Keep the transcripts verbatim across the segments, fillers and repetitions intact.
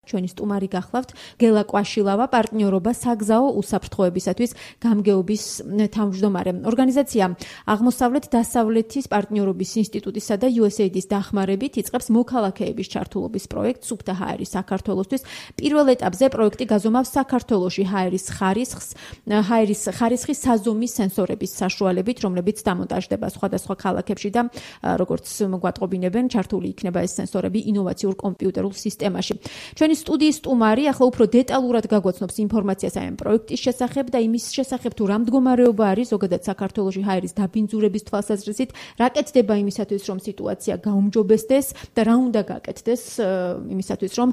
ჩვენი სტუმარი გახლავთ გელა კვაშილავა, პარტნიორობა საგზაო უსაფრთხოებისათვის გამგეობის თავმჯდომარე. ორგანიზაცია აღმოსავლეთ დასავლეთის პარტნიორობის ინსტიტუტისა და იუ ეს ეი დის დახმარებით იწყებს მოქალაქეების ჩართულობის პროექტს სუფთა ჰაერის საქართველოსთვის. პირველ ეტაპზე პროექტი გაზომავს საქართველოში ჰაერის ხარისხს, ჰაერის ხარისხის საზომის სენსორების საშუალებით, რომლებიც დამონტაჟდება სხვადასხვა ქალაქებში და როგორც გვატყობინებენ, ჩართული იქნება ეს სენსორები ინოვაციურ კომპიუტერულ სისტემაში. ჩვენი სტუდიის სტუმარი ახლა უფრო დეტალურად გაგვაცნობს ინფორმაციას ამ პროექტის შესახებ და იმის შესახებ თუ რა მდგომარეობა არის ზოგადად საქართველოში ჰაერის დაბინძურების თვალსაზრისით, რა კეთდება იმისათვის, რომ სიტუაცია გაუმჯობესდეს და რა უნდა გაკეთდეს იმისათვის, რომ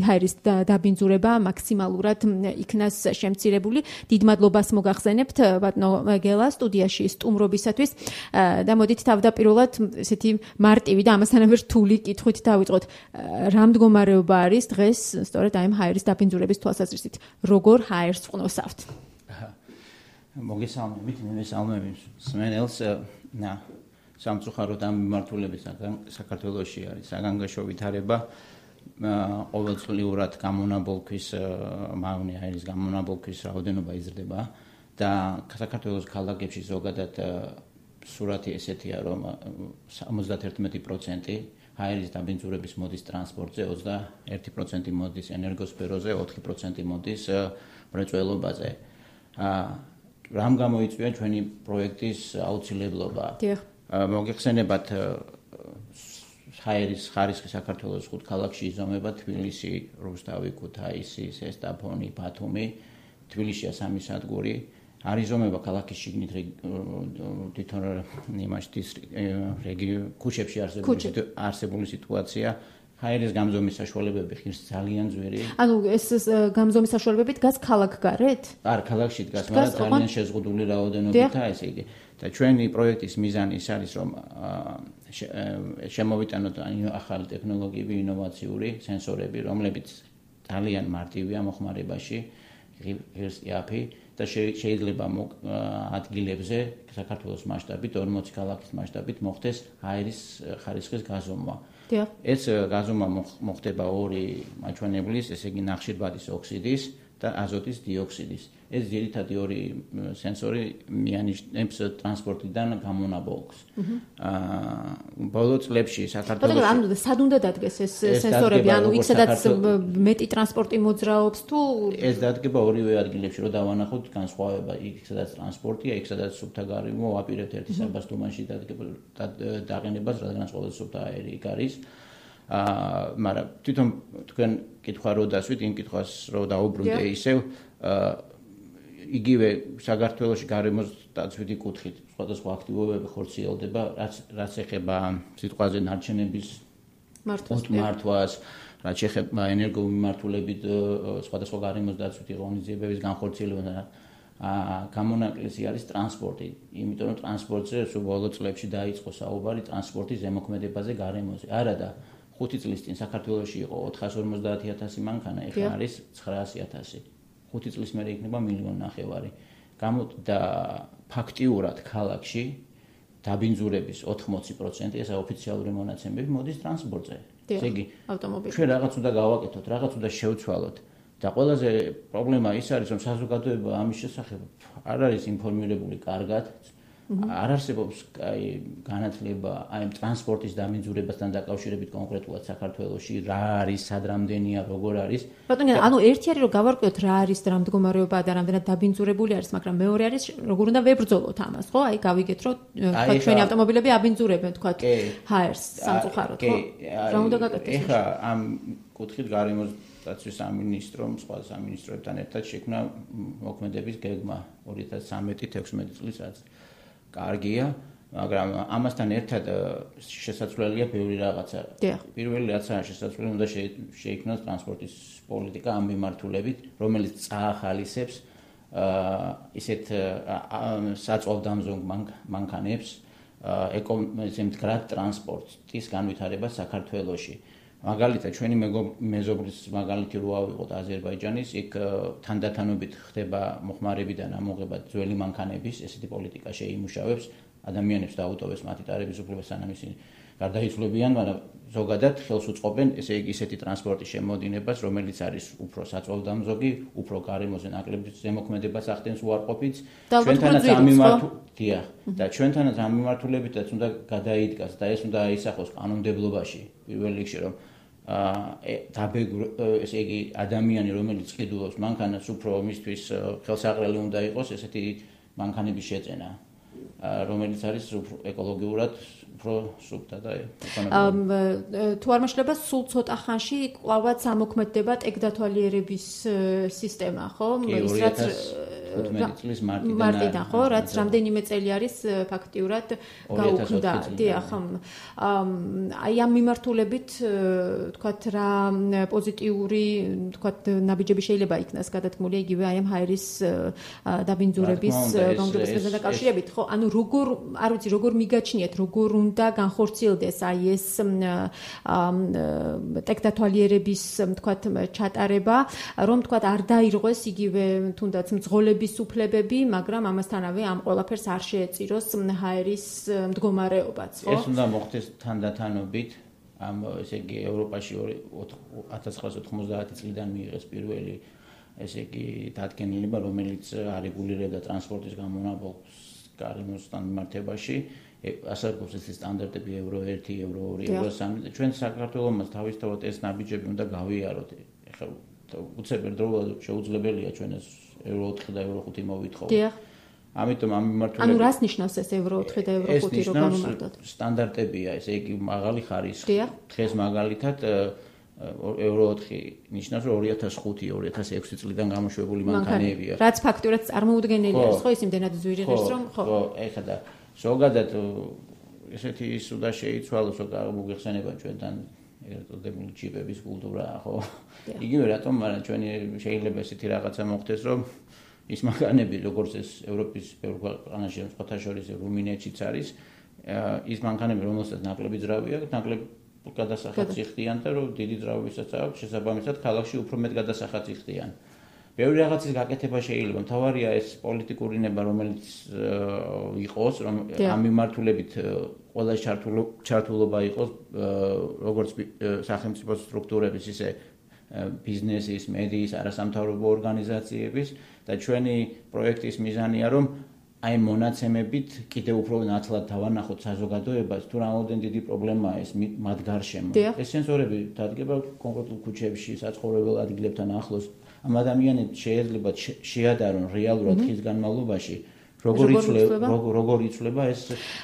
ჰაერის დაბინძურება მაქსიმალურად იქნას შემცირებული. დიდ მადლობას მოგახსენებთ ბატონო გელა სტუდიაში სტუმრობისათვის და მოდით თავდაპირველად ესეთი მარტივი და ამასთანავე რთული კითხვით დავიწყოთ. რა მდგომარეობა არის დღეს სწორედ აი ჰაერის დაბინძურების თვალსაზრისით? როგორ ჰაერს ვყნოსავთ? მოგესალმებით, მე მესალმები მსმენელს. ნა სამწუხაროდ ამ მიმართულებით საქართველოში არის საგანგაშო ვითარება. ყოველწლიურად გამონაბოლქვის მავნე ჰაერის გამონაბოლქვის რაოდენობა იზრდება და საქართველოს ქალაქებში ზოგადად სურათი ესეთია, რომ სამოცდაერთმეტი პროცენტი ჰაერის დაბინძურების მოდის ტრანსპორტზე, ოცდაერთი პროცენტი მოდის ენერგოსფეროზე, ოთხი პროცენტი მოდის მრეწველობაზე. რამ გამოიწვია ჩვენი პროექტის აუცილებლობა? მოგეხსენებათ ჰაერის ხარისხი საქართველოს ხუთ ქალაქში იზომება: თბილისი, რუსთავი, ქუთაისი, ზესტაფონი, ბათუმი. თბილისია სამი სადგური. არ იზომება ქალაქის შიგნით თვითონ იმაში ქუჩებში არსებული სიტუაცია. ჰაერის გამზომის საშუალებები ხშირ ძალიან ძვირი. ანუ ეს გამზომის საშუალებები დგას ქალაქგარეთ? არ, ქალაქში დგას, მაგრამ ძალიან შეზღუდული რაოდენობითაა ესე იგი. და ჩვენი პროექტის მიზანი ის არის, რომ შემოვიტანოთ ახალი ტექნოლოგიები, ინოვაციური სენსორები, რომლებიც ძალიან მარტივია მოხმარებაში, ღირსიაფი და შეიძლება ადგილებზე საქართველოს მასშტაბით, ორმოცი ქალაქის მასშტაბით მოხდეს ჰაერის ხარისხის გაზომვა. ეს გაზომვა მოხდება ორი მაჩვენებლის, ესე იგი ნახშირბადის ოქსიდის და აზოტის დიოქსიდის. ეს ძირითადი ორი სენსორი მიანიშნებს ტრანსპორტიდან გამონაბოლქს. ბოლო წლებში საქართველოში ანუ სად უნდა დადგეს ეს სენსორები? ანუ იქ სადაც მეტი ტრანსპორტი მოძრაობს თუ ეს დადგება ორივე ადგილებში, რომ დავანახოთ განსხვავება. იქ სადაც ტრანსპორტია, იქ სადაც სუფთა გარემო, ვაპირებთ ერთი საბასტუმანში დაყენებას, რადგანაც ყოველ სუფთა აერი იქ არის. აა, მაგრამ თვითონ თქვენ კითხვა რო დასვით, იმ კითხვას რო დაუბრუნდე ისევ იგივე საქართველოში გარემოს დაცვითი კუთხით სხვადასხვა აქტივობები ხორციელდება, რაც რაც ეხება სიტყვაზე ნარჩენების მართვას, რაც ეხება ენერგომიმართულებით სხვადასხვა გარემოს დაცვითი ღონისძიებების განხორციელებას. გამონაკლისი არის ტრანსპორტი, იმიტომ რომ ტრანსპორტზე სულ ბოლო წლებში დაიწყო საუბარი ტრანსპორტის ზემოქმედებაზე გარემოზე. არა და ხუთი წლის წინ საქართველოში იყო ოთხას ორმოცდაათი ათასი მანქანა, ეხლა არის ცხრაასი ათასი. ხუთი წლის მერე იქნება მილიონი ნახევარი. და ფაქტიურად ქალაქში დაბინძურების ოთხმოცი პროცენტი, ესა ოფიციალური მონაცემები მოდის ტრანსპორტზე. ესე იგი, ავტომობილზე. ჩვენ რაღაც უნდა გავაკეთოთ, რაღაც უნდა შევცვალოთ. და ყველაზე პრობლემა ის არის, რომ საზოგადოება ამის შესახებ არ არის ინფორმირებული კარგად. არ არსებობს აი განათლება აი ტრანსპორტის დაბინძურებასთან დაკავშირებით კონკრეტულად საქართველოში, რა არის, სად რამდენია, როგორ არის. ბატონო, ანუ ერთი არის რომ გავარკვიოთ რა არის, რა მდგომარეობაა და რამდენად დაბინძურებული არის, მაგრამ მეორე არის როგორ უნდა ვებრძოლოთ ამას, ხო? აი გავიგეთ, რომ თქვა ჩვენი ავტომობილები აბინძურებენ, თქვა ჰაერს სამწუხაროდ, ხო? რა უნდა გაკეთდეს? ეხლა ამ კუთხით გარემოს დაცვის სამინისტრომ სხვა სამინისტროებთან ერთად შექმნა მოქმედების გეგმა ორი ათას ცხრამეტი თექვსმეტი წლის რაც კარგია, მაგრამ ამასთან ერთად შესაძლებელია ბევრი რაღაცა. პირველი რაღაცა შესაძლებელი უნდა შეიქმნას ტრანსპორტის პოლიტიკა ამ მიმართულებით, რომელიც წაახალისებს ისეთ საწვავდამზოგ მანქანებს, მდგრად ტრანსპორტის განვითარებას საქართველოში. მაგალითად, ჩვენი მეზობლის მაგალითი რო ავიღოთ აზერბაიჯანის, იქ თანდათანობით ხდება მოხმარებიდან ამოღება ძველი მანქანების, ესეთი პოლიტიკა შეიმუშავებს, ადამიანებს დაუტოვებს მათი ტარების უფლება, სანამ ისინი გარდაიცვლებიან, მაგრამ ზოგადად ხელს უწყობენ ესე იგი ისეთი ტრანსპორტის შემოდინებას, რომელიც არის უფრო საწვავდამზოგი, უფრო გარემოზე ნაკლები ზემოქმედებას ახდენს უარყოფით. ჩვენთანაც ამ მიმართულებით და ჩვენთანაც ამ მიმართულებითაც უნდა გადაიდგას და ეს უნდა აისახოს კანონმდებლობაში პირველ რიგში, რომ დაბეგ ესე იგი ადამიანი, რომელიც ყიდულობს მანქანას, უფრო მისთვის ხელსაყრელი უნდა იყოს ესეთი მანქანების შეძენა, რომელიც არის უფრო ეკოლოგიურად უფრო სუფთა და ეკონომიურად. თუ არ მეშლება, სულ ცოტა ხანში კვლავაც ამოქმედდება ტექდათვალიერების სისტემა, ხო? ის რაც თხუთმეტი წლის მარტიდან, ხო, რაც რამდენიმე წელი არის ფაქტიურად გაუქმდა. დიახ, აი ამ მიმართულებით თქვათ რა პოზიტიური, თქვათ ნაბიჯები შეიძლება იქნას გადათმული იგივე აი ამ ჰაერის დაბინძურების განგრევებასთან დაკავშირებით, ხო? ანუ როგორ, არ ვიცი, როგორ მიგაჩნიათ, როგორ უნდა განხორციელდეს აი ეს ტექდათვალიერების, თქვათ, ჩატარება, რომ თქვათ არ დაირღვეს იგივე თუნდაც მძღოლების უფლებები, მაგრამ ამასთანავე ამ ყველაფერს არ შეეწიროს ჰაერის მდგომარეობაც, ხო? ეს უნდა მოხდეს თანდათანობით, ამ ესე იგი ევროპაში ათას ცხრაასი ოთხმოცდაათი წლიდან მიიღეს პირველი ესე იგი დადგენილება, რომელიც არეგულირებდა ტრანსპორტის გამონაბოლქვას გარემოსთან მიმართებაში. ასარგებლობს ეს სტანდარტები ევრო ერთი, ევრო ორი, ევრო სამი. ჩვენ საქართველოს თავისთავად ეს ნაბიჯები უნდა გავიაროთ. ეხლა უცებ ერთდროულად შეუძლებელია ჩვენ ეს ევრო ოთხი და ევრო ხუთი მოვითხოვოთ. დიახ. ამიტომ ამ მიმართულებით ანუ რას ნიშნავს ეს ევრო ოთხი და ევრო ხუთი რო გამომართოთ? სტანდარტებია, ესე იგი მაღალი ხარისხი. დღეს მაგალითად ევრო ოთხი ნიშნავს, რომ ორი ათას ხუთი ორი ათას ექვსი წლიდან გამოშვებული მანქანებია. რაც ფაქტურად წარმოუდგენელია, ხო, ის იმდენად ძვირი ღირს, რომ ხო. ხო, ეხლა და ზოგადად ესეთი ის უნდა შეიცვალოს, რომ გამოგიხსენება ჩვენთან ერთადებული ჯიპების კულტურა, ხო? იგივე რატომ, მაგრამ ჩვენი შეიძლება ესეთი რაღაცა მოხდეს, რომ ის მანქანები, როგორც ეს ევროპის ბევრ ქვეყანაში, სხვათა შორის რუმინეთშიც არის, ის მანქანები, რომელსაც ნაკლები ძრავი აქვს, ნაკლები გადასახადს იხდიან და რომ დიდი ძრავებისაც აქვს, შესაბამისად ქალაქში უფრო მეტ გადასახადს იხდიან. ბევრი რაღაცის გაკეთება შეიძლება, მთავარია ეს პოლიტიკური ნება, რომელიც იყოს, რომ ამ მიმართულებით ყველა ჩართულობა იყოს, როგორც სახელმწიფო სტრუქტურების, ისე ბიზნესის, მედიის, არასამთავრობო ორგანიზაციების და ჩვენი პროექტის მიზანია, რომ აი მონაცემებით კიდევ უფრო ნათლად დავანახოთ საზოგადოებას, თუ რამოდენ დიდი პრობლემაა ეს მათ გარშემო. ეს სენსორები დადგება კონკრეტულ ქუჩებში, საცხოვრებელ ადგილებთან ახლოს. ამ ადამიანებს შეიძლება შეადარონ რეალურად ხის განმავლობაში როგორ იცვლება როგორ იცვლება ეს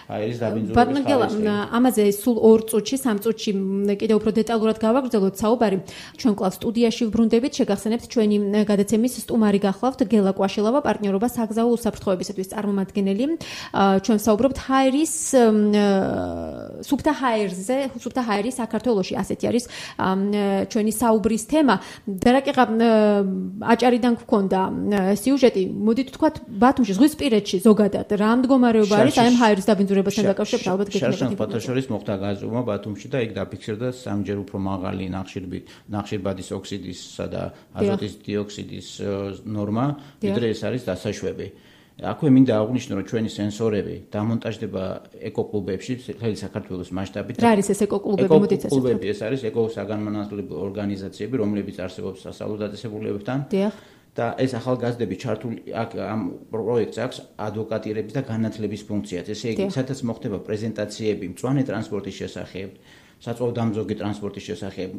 ჰაერის დაბინძურების ხარისხი. ამაზე სულ ორ წუთში, სამ წუთში კიდევ უფრო დეტალურად გავაგრძელოთ საუბარი. ჩვენ კლავ სტუდიაში ვბრუნდებით, შეგახსენებთ ჩვენი გადაცემის სტუმარი გახლავთ გელა კვაშილავა, პარტნიორობა საგზაო უსაფრთხოებისათვის წარმომადგენელი. ჩვენ საუბრობთ ჰაერის სუფთა ჰაერზე, სუფთა ჰაერი საქართველოში, ასეთი არის ჩვენი საუბრის თემა. დარაკიღა აჭარიდან გქონდა სიუჟეტი, მოდით ვთქვათ ბათუმში ზღვისპირეთში ზოგადად რა მდგომარეობა არის აი ამ ჰაერის დაბინძურებასთან დაკავშირებით ალბათ გეკითხებით. შარშან ფოთაშორის მოხდა გაზრდომა ბათუმში და იქ დაფიქსირდა სამჯერ უფრო მაღალი ნახშირბადის ოქსიდისა და აზოტის დიოქსიდის ნორმა, ვიდრე ეს არის დასაშვები. აქვე მინდა აღვნიშნო, რომ ჩვენი სენსორები დამონტაჟდება ეკოკლუბებში, მთელი საქართველოს მასშტაბით. რა არის ეს ეკოკლუბები? მოდით ესე ეკოკლუბები ეს არის ეკოსაგანმანათლებლო ორგანიზაციები, რომლებიც არსებობს სასწავლო დაწესებულებებთან. დიახ. და ეს ახალგაზრდები ჩართული აქ ამ პროექტს აქვს ადვოკატირების და განათლების ფუნქციაც. ესე იგი, სადაც მოხდება პრეზენტაციები მწვანე ტრანსპორტის შესახებ, საწვავდამზოგი ტრანსპორტის შესახებ,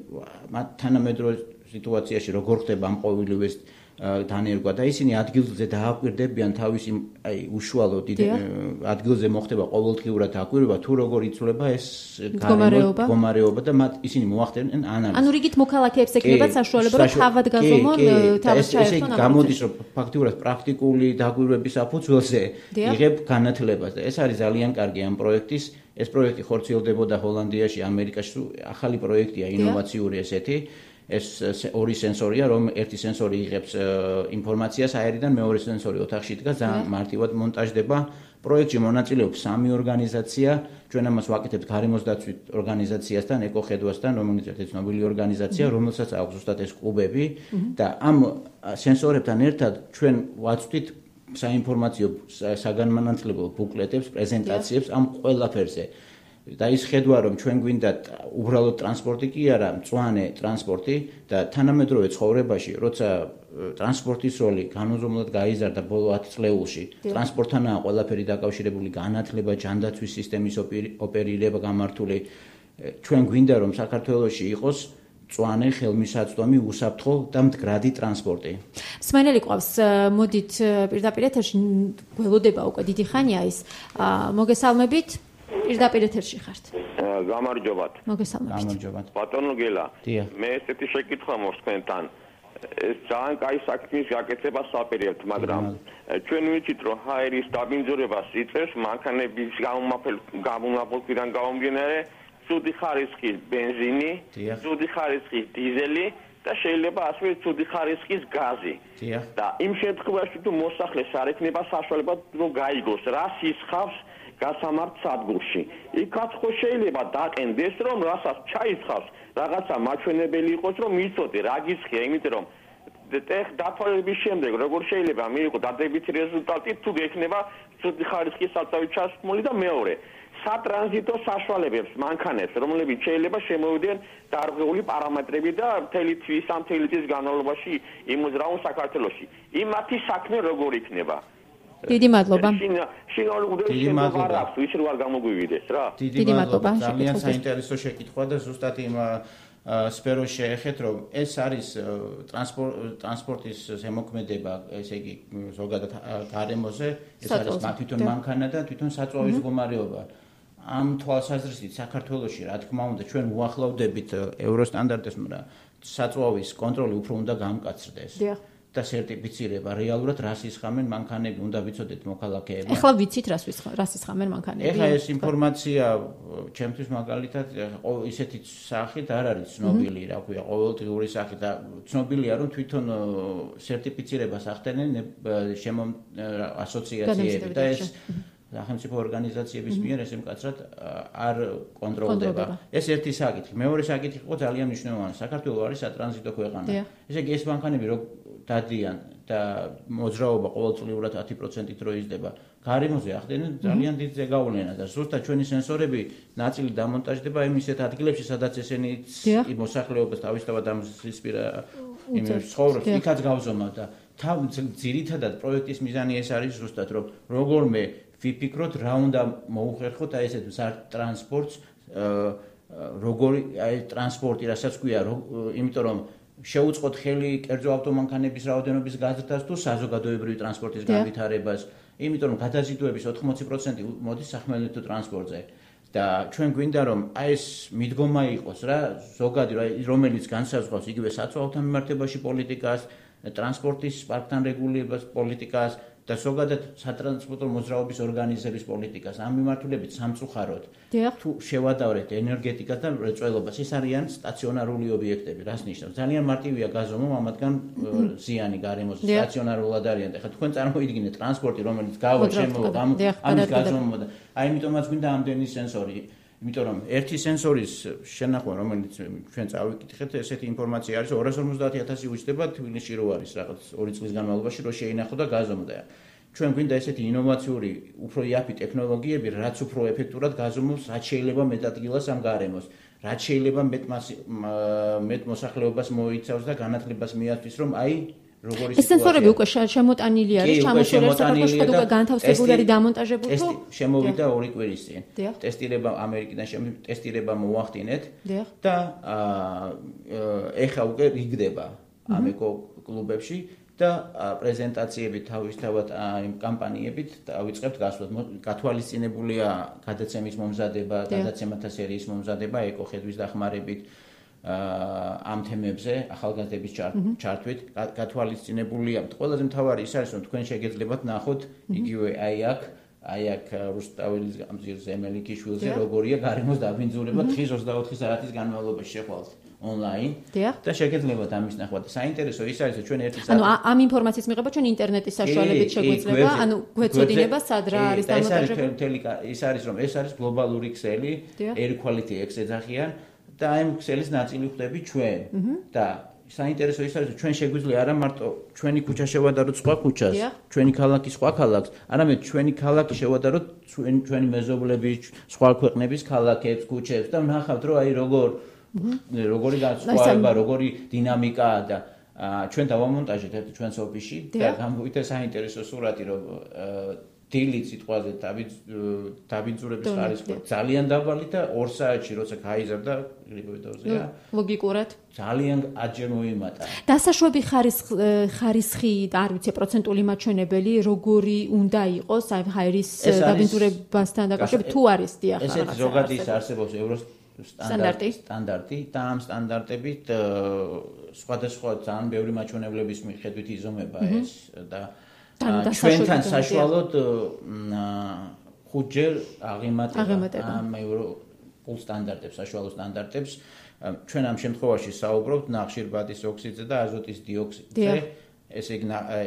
თანამედროვე სიტუაციაში როგორ ხდება ამ ყოველივეს დანერგვა და ისინი ადგილზე დააკვირდებიან თავისი აი უშუალოდ ადგილზე მოხდება ყოველდღიურად დაკვირვება თუ როგორ იცვლება ეს მდგომარეობა და მათ ისინი მოახდენენ ანალიზს. ანუ რიგით მოქალაქეებს ექნებათ საშუალება რომ თავად გაზომონ, თავად ჩაერთონ. ეს გამოდის რომ ფაქტიურად პრაქტიკული დაკვირვების საფუძველზე იღებ განათლებას და ეს არის ძალიან კარგი ამ პროექტის. ეს პროექტი ხორციელდებოდა ჰოლანდიაში, ამერიკაში, ახალი პროექტია, ინოვაციური ესეთი. ეს ორი სენსორია, რომ ერთი სენსორი იღებს ინფორმაციას აერიდან, მეორე სენსორი ოთახში დგას, ძალიან მარტივად მონტაჟდება. პროექტში მონაწილეობს სამი ორგანიზაცია, ჩვენ ამას ვაკეთებთ გარემოს დაცვის ორგანიზაციასთან, ეკოხედვასთან, რომელიც ერთ ცნობილი ორგანიზაცია, რომელსაც აქვს ზუსტად ეს კლუბები და ამ სენსორებთან ერთად ჩვენ ვაწვდით საინფორმაციო საგანმანათლებლო ბუკლეტებს, პრეზენტაციებს ამ ყველაფერზე. და ის ხედვა რომ ჩვენ გვინდა უბრალოდ ტრანსპორტი კი არა, მწვანე ტრანსპორტი და თანამედროვე ცხოვრებაში, როცა ტრანსპორტის როლი განუზომლად გაიზარდა ბოლო ათი წლეულში, ტრანსპორტთანაა ყველაფერი დაკავშირებული, განათლება, ჯანდაცვის სისტემის ოპერირება გამართული. ჩვენ გვინდა რომ საქართველოში იყოს მწვანე, ხელმისაწვდომი, უსაფრთხო და მდგრადი ტრანსპორტი. მსმენელი ყავს, მოდით პირდაპირ ეთერში გველოდება უკვე დიდი ხანია ის. მოგესალმებით. პირდაპირ ეთერში ხართ. გამარჯობათ. მოგესალმებით. გამარჯობათ. ბატონო გელა, მე ესეთი შეკითხვა მოხს თქვენთან. ეს ძალიან კაი საქმის გაკეთებას საპირებთ, მაგრამ ჩვენ ვიცით რომ ჰაერის დაბინძურებას იწევს მანქანების გამომავალიდან გამომდინარე ცუდი ხარისხის ბენზინი, ცუდი ხარისხის დიზელი და შეიძლება ასევე ცუდი ხარისხის გაზი. და იმ შემთხვევაში თუ მოსახლეს არ ექნება საშუალება რომ გაიგოს რა სისხავს გასამართ სადგურში. იქაც ხო შეიძლება დაყენდეს რომ რასაც ჩაისხავს რაღაცა მაჩვენებელი იყოს რომ იცოდე რა გისხია, იმიტომ რომ დათვალების შემდეგ როგორ შეიძლება მიიღო დადებითი რეზულტატი თუ გექნება ცუდი ხარისხის საწავი ჩასმული და მეორე სატრანზიტო საშუალებებს მანქანებს რომლებიც შეიძლება შემოვიდნენ დარღვეული პარამეტრები და მთელი თვის ამ მთელი წლის განმავლობაში იმოძრავონ საქართველოში. იმათი საქმე როგორ იქნება? დიდი მადლობა. დიდი მადლობა. ის რო არ გამოგვივიდეს რა. დიდი მადლობა. ძალიან საინტერესო შეკითხვა და ზუსტად იმ სფეროს შეეხეთ, რომ ეს არის ტრანსპორტის ზემოქმედება, ესე იგი ზოგადად გარემოზე, ეს არის თვითონ მანქანა და თვითონ საწვავის მდგომარეობა. ამ თვალსაზრისით საქართველოში, რა თქმა უნდა, ჩვენ უახლოვდებით ევროსტანდარტებს, მაგრამ საწვავის კონტროლი უფრო უნდა გამკაცრდეს. და სერტიფიცირება რეალურად რას ისხამენ მანქანები, უნდა ვიცოდეთ მოქალაქეები. ეხლა ვიცით რას რას ისხამენ მანქანები. ეხლა ეს ინფორმაცია ჩემთვის მაგალითად ისეთი სახით არ არის ცნობილი, რა ქვია, ყოველდღიური სახით და ცნობილია რომ თვითონ სერტიფიცირებას ახდენენ შემო ასოციაციები და ეს სახელმწიფო ორგანიზაციების მიერ ესე მკაცრად არ კონტროლდება. ეს ერთი საკითხი. მეორე საკითხი იყო ძალიან მნიშვნელოვანი. საქართველო არის სატრანზიტო ქვეყანა. ესე იგი ეს მანქანები რო დადიან და მოძრაობა ყოველწლიურად ათი პროცენტით რო იზრდება, გარემოზე ახდენენ ძალიან დიდ ზეგავლენას და ზუსტად ჩვენი სენსორები ნაწილი დამონტაჟდება იმ ისეთ ადგილებში, სადაც ესენი მოსახლეობას თავისთავად ამ ზისპირა იმ ცხოვრობს, იქაც გავზომავ და თავ ძირითადად პროექტის მიზანი ეს არის ზუსტად რომ როგორმე ვიფიქროთ რა უნდა მოუხერხოთ აი ესეთ მზარდ ტრანსპორტს, როგორი აი ტრანსპორტი, რასაც ქვია, იმიტომ რომ შეუწყოთ ხელი კერძო ავტომანქანების რაოდენობის გაზრდას თუ საზოგადოებრივი ტრანსპორტის განვითარებას, იმიტომ რომ გადაზიდვების ოთხმოცი პროცენტი მოდის სახმელეთო ტრანსპორტზე. და ჩვენ გვინდა რომ აი ეს მიდგომა იყოს რა, ზოგადი რომელიც განსაზღვრავს იგივე საწვავთან მიმართებაში პოლიტიკას, ტრანსპორტის პარკთან რეგულირებას პოლიტიკას და ზოგადად სატრანსპორტო მოძრაობის ორგანიზების პოლიტიკას. ამ მიმართულებით სამწუხაროდ თუ შევადარებთ ენერგეტიკას და მრეწველობას, ეს არიან სტაციონარული ობიექტები, რას ნიშნავს? ძალიან მარტივია გაზომვა ამათგან ზიანი გარემოზე, სტაციონარულად არიან. ეხლა თქვენ წარმოიდგინეთ ტრანსპორტი, რომელიც გავა შემოვა, ამის გაზომვა და აი ამიტომაც გვინდა ამდენი სენსორი. იმიტომ რომ ერთი სენსორის შენახვა, რომელიც ჩვენ წავიკითხეთ, ესეთი ინფორმაცია არის ორას ორმოცდაათი ათასი უჩნდება თბილისში რო არის რაღაც ორი წლის განმავლობაში რო შეინახო და გაზომდა. ჩვენ გვინდა ესეთი ინოვაციური, უფრო იაფი ტექნოლოგიები, რაც უფრო ეფექტურად გაზომავს, რაც შეიძლება მეტ ადგილას ამ გარემოს, რაც შეიძლება მეტ მეტ მოსახლეობას მოიცავს და განათლებას მიაწვის, რომ აი როგორი ეს სენსორები უკვე შემოტანილი არის, ჩამოსული საქართველოს და განთავსებული არის დამონტაჟებული თუ შემოვიდა ორი კვირის წინ. ტესტირება ამერიკიდან ტესტირება მოახდინეთ და ეხა უკვე რიგდება ამ ეკო კლუბებში და პრეზენტაციებით თავისთავად იმ კამპანიებით დავიწყებთ გასვლას. გათვალისწინებულია გადაცემის მომზადება, გადაცემათა სერიის მომზადება ეკო ხედვის დახმარებით ამ თემებზე ახალგაზრდების ჩართვით გათვალისწინებულია. ყველაზე მთავარი ის არის, რომ თქვენ შეგეძლებათ ნახოთ იგივე აი აქ, აი აქ რუსტაველის გამზირზე, მელიქიშვილზე როგორია გარემოს დაბინძურება დღის ოცდაოთხი საათის განმავლობაში შეხვალთ ონლაინ და შეგეძლებათ ამის ნახვა და საინტერესო ის არის, რომ ჩვენ ერთი ანუ ამ ინფორმაციის მიღება ჩვენ ინტერნეტის საშუალებით შეგვიძლია, ანუ გვეცოდინება სად რა არის დამონტაჟებული. ის არის რომ ეს არის გლობალური ქსელი, Air Quality X ეძახიან და ამ ქსელის ნაწილი ხდები ჩვენ და საინტერესო ის არის, ჩვენ შეგვიძლია არა მარტო ჩვენი ქუჩა შევადაროთ სხვა ქუჩას, ჩვენი ქალაქი სხვა ქალაქს, არამედ ჩვენი ქალაქი შევადაროთ ჩვენი მეზობლების, სხვა ქვეყნების ქალაქებს, ქუჩებს და ვნახავთ, რომ აი როგორ როგორი განსხვავება, როგორი დინამიკაა და ჩვენ დავამონტაჟეთ ერთ ჩვენს ოფისში და გამოვიდა საინტერესო სურათი, რომ დილით სიტყვაზე დაბინძურების ხარისხი ძალიან დაბალი და ორ საათში როცა გაიზარდა ლიბერტოზია ლოგიკურად ძალიან აჯერ მოიმატა. დასაშვები ხარისხი არ ვიცი პროცენტული მაჩვენებელი როგორი უნდა იყოს აი ჰაერის დაბინძურებასთან დაკავშირებით თუ არის დიახ ესეთ ზოგადად არსებობს ევროს სტანდარტი სტანდარტი და ამ სტანდარტებით სხვადასხვა ძალიან ბევრი მაჩვენებლების მიხედვით იზომება ეს და ჩვენთან საშუალოდ ხუთჯერ აღემატება ამ ევროპულ სტანდარტებს, საშუალო სტანდარტებს. ჩვენ ამ შემთხვევაში საუბრობთ ნახშირბადის ოქსიდზე და აზოტის დიოქსიდზე. ესე იგი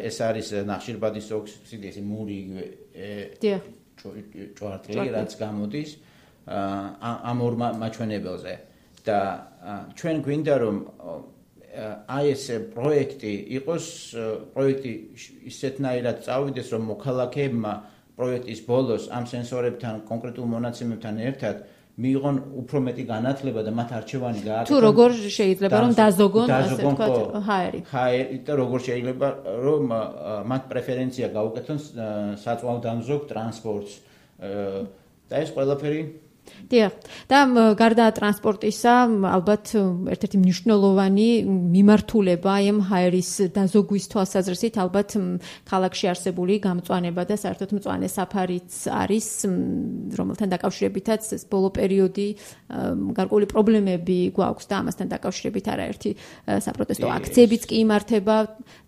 ეს არის ნახშირბადის ოქსიდი, ესე მური ჭვარტლი, რაც გამოდის ამ ორ მაჩვენებელზე. და ჩვენ გვინდა რომ აი ეს პროექტი იყოს პროექტი ისეთნაირად წავიდეს რომ მოქალაქეებმა პროექტის ბოლოს ამ სენსორებთან კონკრეტულ მონაცემებთან ერთად მიიღონ უფრო მეტი განათლება და მათ არჩევანი გააკეთონ თუ როგორ შეიძლება რომ დაზოგონ ასე ვთქვათ ჰაერი ჰაერი და როგორ შეიძლება რომ მათ პრეფერენცია გაუკეთონ საწვავდამზოგ ტრანსპორტს და ეს ყველაფერი დიახ და გარდა ტრანსპორტისა ალბათ ერთ-ერთი მნიშვნელოვანი მიმართულება აი ამ ჰაერის დაზოგვის თვალსაზრისით ალბათ ქალაქში არსებული გამწვანება და საერთოდ მწვანე საფარიც არის რომელთან დაკავშირებითაც ეს ბოლო პერიოდი გარკვეული პრობლემები გვაქვს და ამასთან დაკავშირებით არაერთი საპროტესტო აქციებიც კი იმართება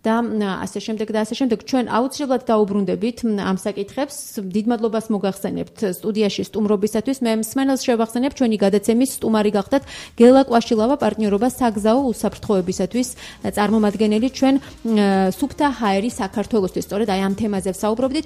და ასე შემდეგ და ასე შემდეგ ჩვენ აუცილებლად დაუბრუნდებით ამ საკითხებს დიდ მადლობას მოგახსენებთ სტუდიაში სტუმრობისათვის მე მსმენელს შევახსენებ ჩვენი გადაცემის სტუმარი გახდათ გელა კვაშილავა პარტნიორობა საგზაო უსაფრთხოებისათვის წარმომადგენელი ჩვენ სუფთა ჰაერი საქართველოსთვის სწორედ აი ამ თემაზე ვსაუბრობდით